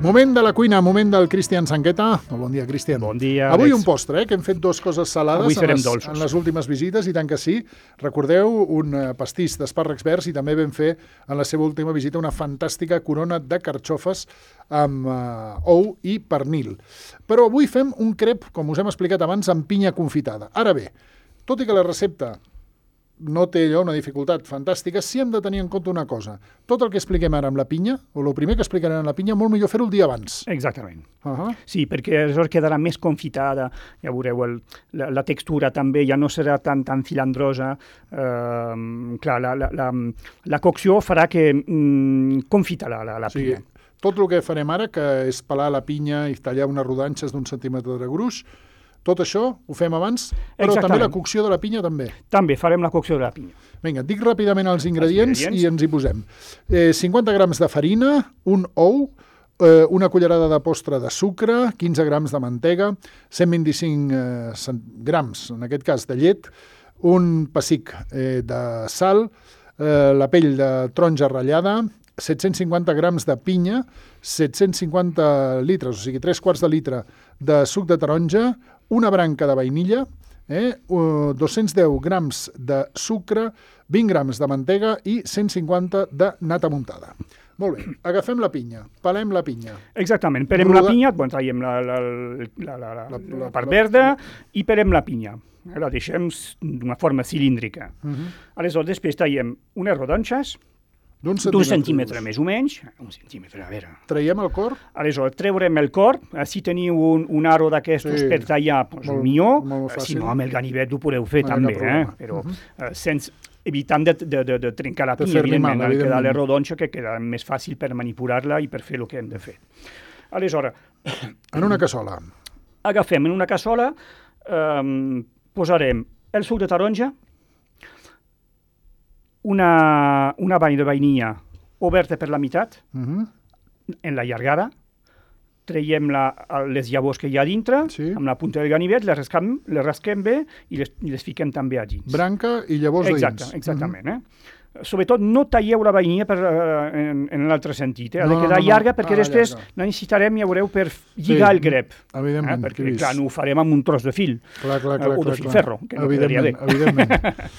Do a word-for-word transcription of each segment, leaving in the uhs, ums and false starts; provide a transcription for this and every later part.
Moment de la cuina, moment del Cristian Sangueta. Bon dia, Cristian. Bon dia, Avui Àlex. un postre, eh, que hem fet dues coses salades Avui en serem les, dolços. en les últimes visites, i tant que sí. Recordeu, un eh, pastís d'espàrrecs verds, i també vam fer en la seva última visita una fantàstica corona de carxofes amb eh, ou i pernil. Però avui fem un crep, com us hem explicat abans, amb pinya confitada. Ara bé, tot i que la recepta no té allò una dificultat fantàstica, sí hem de tenir en compte una cosa. Tot el que expliquem ara amb la pinya, o el primer que explicarem amb la pinya, molt millor fer-ho el dia abans. Exactament. Uh -huh. Sí, perquè aleshores quedarà més confitada, ja veureu, el, la, la textura també ja no serà tan, tan filandrosa. Uh, clar, la, la, la, la cocció farà que mm, confita la, la, la Sí, pinya. tot el que farem ara, que és pelar la pinya i tallar unes rodanxes d'un centímetre de gruix, tot això ho fem abans, però Exactament. també la cocció de la pinya també. També farem la cocció de la pinya. Vinga, dic ràpidament els ingredients, ingredients. i ens hi posem. Eh, cinquanta grams de farina, un ou, eh, una cullerada de postre de sucre, quinze grams de mantega, cent vint-i-cinc eh, grams, en aquest cas, de llet, un pessic eh, de sal, eh, la pell de taronja ratllada, set-cents cinquanta grams de pinya, set-cents cinquanta litres, o sigui, tres quarts de litre de suc de taronja, una branca de vainilla, eh, uh, dos-cents deu grams de sucre, vint grams de mantega i cent cinquanta de nata muntada. Molt bé, agafem la pinya, pelem la pinya. Exactament, pelem Roda- la pinya, bueno, traiem la, la, la, la, la, La- la, la- part la- verda i pelem la pinya. La deixem d'una forma cilíndrica. Uh -huh. Aleshores, després traiem unes rodonxes, D'un d'un centímetre centímetre. més o menys, un centímetre, a veure. Traiem el cor, Aleshores, treurem el cor, eh, si teniu un, un aro d'aquestos Sí. per tallar, doncs Molt- millor, molt Eh, si fàcil. no, amb el ganivet ho podeu fer No hi ha també, cap eh? problema. Però Mhm. eh, sense, evitant de, de, de, de trencar la De pinya, fer-li mal, evidentment, al quedar evidentment. la rodonxa, que queda més fàcil per manipular-la i per fer el que hem de fer. Aleshores, en una cassola. agafem en una cassola, eh, posarem el suc de taronja, una, una vall de vainilla oberta per la meitat, Uh -huh. en la llargada, traiem la, les llavors que hi ha dintre, Sí. amb la punta del ganivet, les rascam, les rasquem bé i les, i les fiquem també a dins. Branca i llavors Exacte, de dins. exactament. Eh? Sobretot no talleu la vainilla per, eh, en, en l'altre sentit. Eh? Ha No, de no, quedar no, no. llarga perquè Ah, després llarga. la necessitarem, ja veureu, per lligar Sí, el grep. Eh? Evidentment, que he Perquè, vist. clar, no ho farem amb un tros de fil. Clar, clar, eh, clar, o de clar, filferro, clar. que no quedaria bé. Evidentment, evidentment.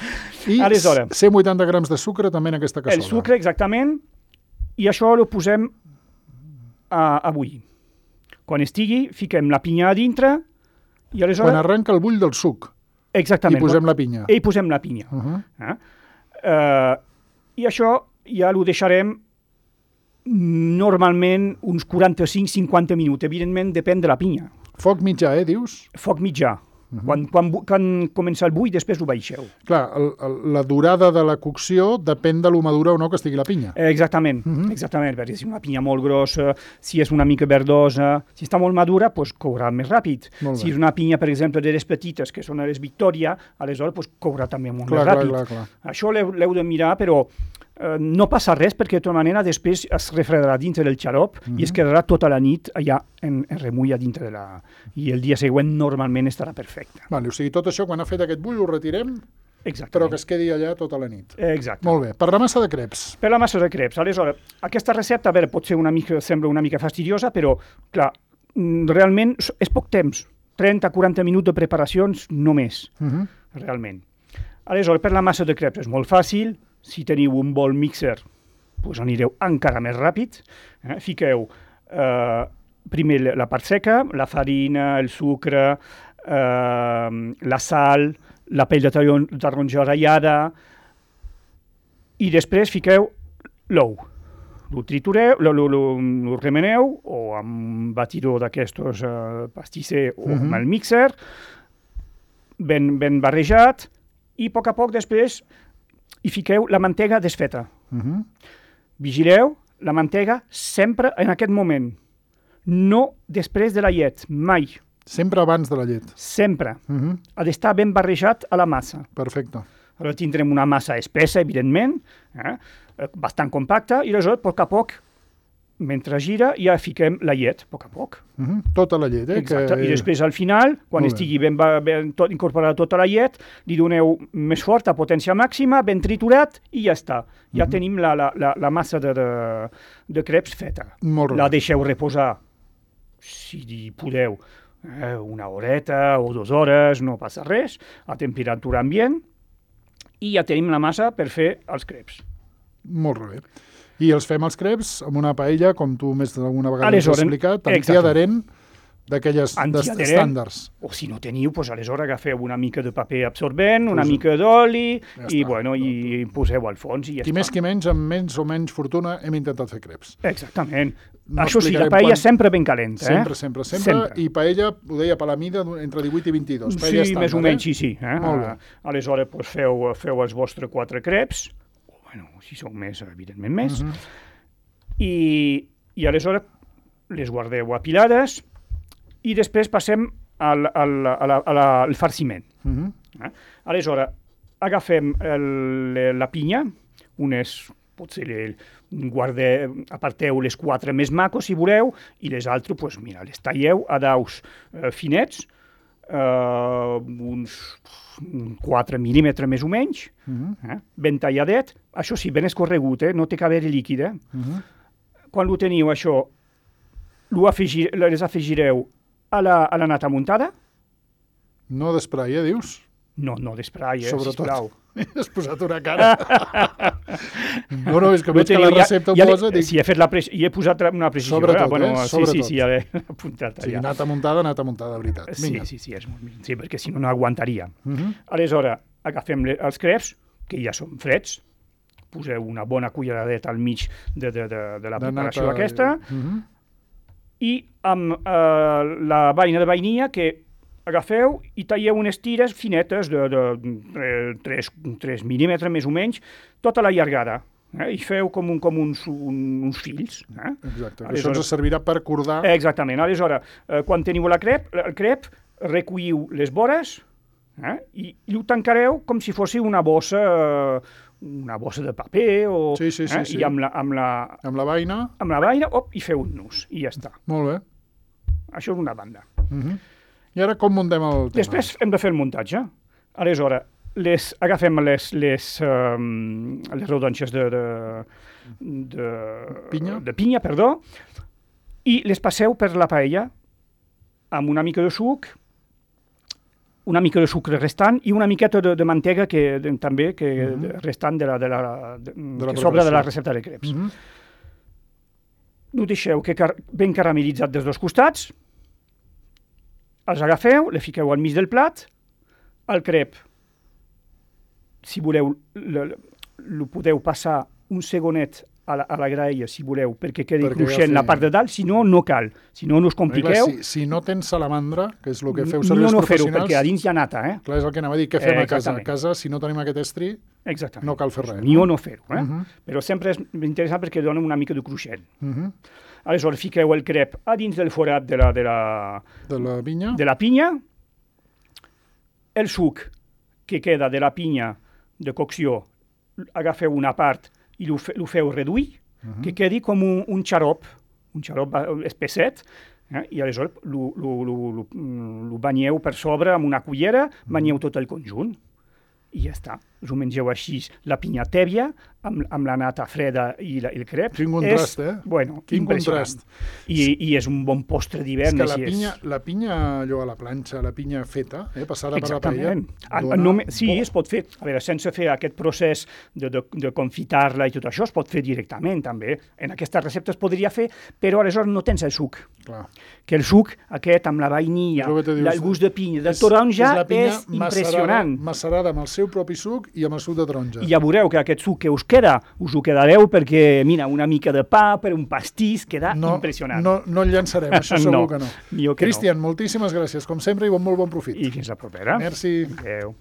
I Aleshores. cent vuitanta grams de sucre també en aquesta cassola. El sucre, exactament, i això ho posem a, a bullir. Quan estigui, fiquem la pinya a dintre i aleshores... Quan arrenca el bull del suc Exactament. i posem la pinya. I posem la pinya. Uh -huh. Eh? Uh, I això ja ho deixarem normalment uns quaranta-cinc a cinquanta minuts. Evidentment, depèn de la pinya. Foc mitjà, eh, dius? Foc mitjà. Uh -huh. quan, quan, bu- quan comença el bull, després ho baixeu. Clar, el, el, la durada de la cocció depèn de lo madura o no que estigui la pinya. Eh, exactament, Uh -huh. exactament, perquè si és una pinya molt grossa, si és una mica verdosa, si està molt madura, doncs courà més ràpid. Molt bé. Si és una pinya, per exemple, de les petites, que són les Victoria, aleshores doncs, courà també molt Clar, més clar, ràpid. clar, clar. Això l'heu l'heu de mirar, però eh, no passa res, perquè de tota manera després es refredarà dintre del xarop uh -huh. i es quedarà tota la nit allà en, en remull a dintre de la... I el dia següent normalment estarà perfecte. Vale, o sigui, tot això, quan ha fet aquest bull, ho retirem, Exactament. però que es quedi allà tota la nit. Exacte. Molt bé. Per la massa de creps. Per la massa de creps. Aleshores, aquesta recepta, a veure, pot ser una mica, sembla una mica fastidiosa, però, clar, mm, realment s- és poc temps. trenta a quaranta minuts de preparacions només, Uh -huh. realment. Aleshores, per la massa de creps és molt fàcil. Si teniu un bol mixer, doncs anireu encara més ràpid. Eh? Fiqueu eh, primer la- la part seca, la farina, el sucre, eh, la sal, la pell de taron- taronja ratllada, i després fiqueu l'ou. Lo tritureu, lo, lo, lo, lo remeneu, o amb un batidor d'aquestos eh, pastisser o Mhm. amb el mixer, ben, ben barrejat, i a poc a poc després hi fiqueu la mantega desfeta. Uh -huh. Vigileu la mantega sempre en aquest moment, no després de la llet, mai, Sempre abans de la llet. sempre. Uh -huh. Ha d'estar ben barrejat a la massa. Perfecte. Aleshores tindrem una massa espessa, evidentment, eh? eh, bastant compacta, i aleshores, a poc a poc, mentre gira, ja fiquem la llet, a poc a poc. Uh -huh. Tota la llet, eh? Exacte. Que... I després, al final, quan Molt estigui ben, ben tot, incorporada tota la llet, li doneu més fort, a potència màxima, ben triturat, i ja està. Ja uh -huh. tenim la, la, la, la massa de, de, de creps feta. Molt la bé. deixeu reposar, si podeu, eh, una horeta o dues hores, no passa res, a temperatura ambient, i ja tenim la massa per fer els creps. Molt bé. I els fem els creps amb una paella, com tu més d'alguna vegada ens has Aleshores, explicat, exacte. antiadherent, d'aquelles Antiadherent. estàndards. O si no teniu, doncs aleshores agafeu una mica de paper absorbent, una Posa- mica d'oli, Ja i, està. bueno, i poseu al fons i ja Qui està. més qui menys, amb menys o menys fortuna, hem intentat fer creps. Exactament. No Això sí, la explicarem paella quan- sempre ben calenta. Sempre, eh? sempre, sempre, sempre. I paella, ho deia, per la mida, entre divuit i vint-i-dos. Paella Sí, estàndard, més o menys, eh? sí, sí. Eh? Molt bé. Ah, aleshores, doncs, feu, feu els vostres quatre creps, o, bueno, si són més, evidentment més, Uh -huh. i, i aleshores les guardeu apilades i després passem al, al, a la, a la, al farciment. Uh -huh. Eh? Aleshores, agafem el, la pinya, unes, potser le, guardeu, aparteu les quatre més macos, si voleu, i les altres, pues, mira, les talleu a daus eh, finets, eh, uns quatre mil·límetres més o menys, Uh -huh. eh? Ben talladet, això sí, ben escorregut, eh? No té que haver-hi líquid. Eh? Uh -huh. Quan ho teniu, això, lo afegir, les afegireu a la, a la nata muntada. No d'esprai, eh, dius? No, no d'esprai, eh, Sobretot. sisplau. Has posat una cara. no, no, és que Ho veig que la teniu, ja- recepta ja ho l'he- posa... Dic, Sí, he fet la pre i he posat una precisió. Sobretot, eh? Bueno, eh? Sí, Sobretot. sí, sí, ja l'he apuntat sí, allà. nata muntada, nata muntada, de veritat. Sí, Vinga. sí, sí, és molt, sí, perquè si no, no aguantaria. Uh -huh. Aleshores, agafem le- els creps, que ja són freds, poseu una bona culleradeta al mig de, de, de, de la De preparació nata, aquesta, Uh -huh. i amb eh, la vaina de vainilla que agafeu i talleu unes tires finetes de, de tres mil·límetres més o menys, tota la llargada. Eh? I feu com, un, com uns, un, uns fills. Eh? Exacte, que Aleshores- això ens servirà per cordar... Exactament. Aleshores, eh, quan teniu la crep, el crep, recolliu les vores eh? I, i ho tancareu com si fos una bossa, eh, una bossa de paper, o, Sí, sí, sí, eh? sí. I amb la, amb la, Amb la vaina, amb la vaina, op, i feu un nus, i ja està. molt bé. Això és una banda. Uh -huh. I ara com muntem el tema? Després hem de fer el muntatge. Aleshores, les, agafem les, les, um, les rodonxes de, de, de, Pinya? de pinya, perdó, i les passeu per la paella amb una mica de suc, una mica de sucre restant i una miqueta de, de mantega que, de, també que, Mhm. de, restant de la, de la, de, De la que sobra de la preparació. recepta de creps. Uh -huh. Ho deixeu que car ben caramelitzat dels dos costats, els agafeu, le fiqueu al mig del plat, el crep, si voleu, el podeu passar un segonet a la, a la graella, si voleu, perquè quedi Perquè cruixent agafi- la part de dalt, si no, no cal. Si no, no us Clar, compliqueu. si, si no tens salamandra, que és el que feu servir no, els no fer-ho, professionals... perquè a dins hi ha nata, eh? Clar, és el que anava a dir, què fem Eh, a casa? A exactament. casa, si no tenim aquest estri, Exactament. no cal fer res. Ni o no fer-ho, eh? Uh -huh. Però sempre és interessant perquè dona una mica de cruixent. Uh -huh. Aleshores, fiqueu el crep a dins del forat de la, de la, De la vinya? de la pinya, el suc que queda de la pinya de cocció, agafeu una part i lo, fe, lo feu reduir, uh -huh. que quedi com un, un xarop, un xarop espesset, eh? I aleshores lo, lo, lo, lo, lo banyeu per sobre amb una cullera, banyeu tot el conjunt, i ja està. Us ho mengeu així, la pinya tèbia, amb, amb la nata freda i la, el crep. Quin contrast, és, eh? Bueno, Quin impressionant. contrast. I, I és un bon postre És d'hivern. que la així és. pinya, la pinya allò a la planxa, la pinya feta, eh, passada per la paella... Exactament. Ah, dona no, sí, bo. es pot fer. A veure, sense fer aquest procés de, de, de confitar-la i tot això, es pot fer directament, també. En aquesta recepta es podria fer, però aleshores no tens el suc. Clar. Que el suc, aquest, amb la vainilla, És el que te dius, el gust de pinya, del És- taronja, la pinya és impressionant. Macerada, macerada amb el seu propi suc i amb el suc de taronja. I ja veureu que aquest suc que us queda, us ho quedareu perquè, mira, una mica de pa per un pastís, queda no, impressionant. No, no el llançarem, això segur No, que no. millor que no. Cristian, moltíssimes gràcies, com sempre, i bon, molt bon profit. I fins la propera. Merci. Adéu.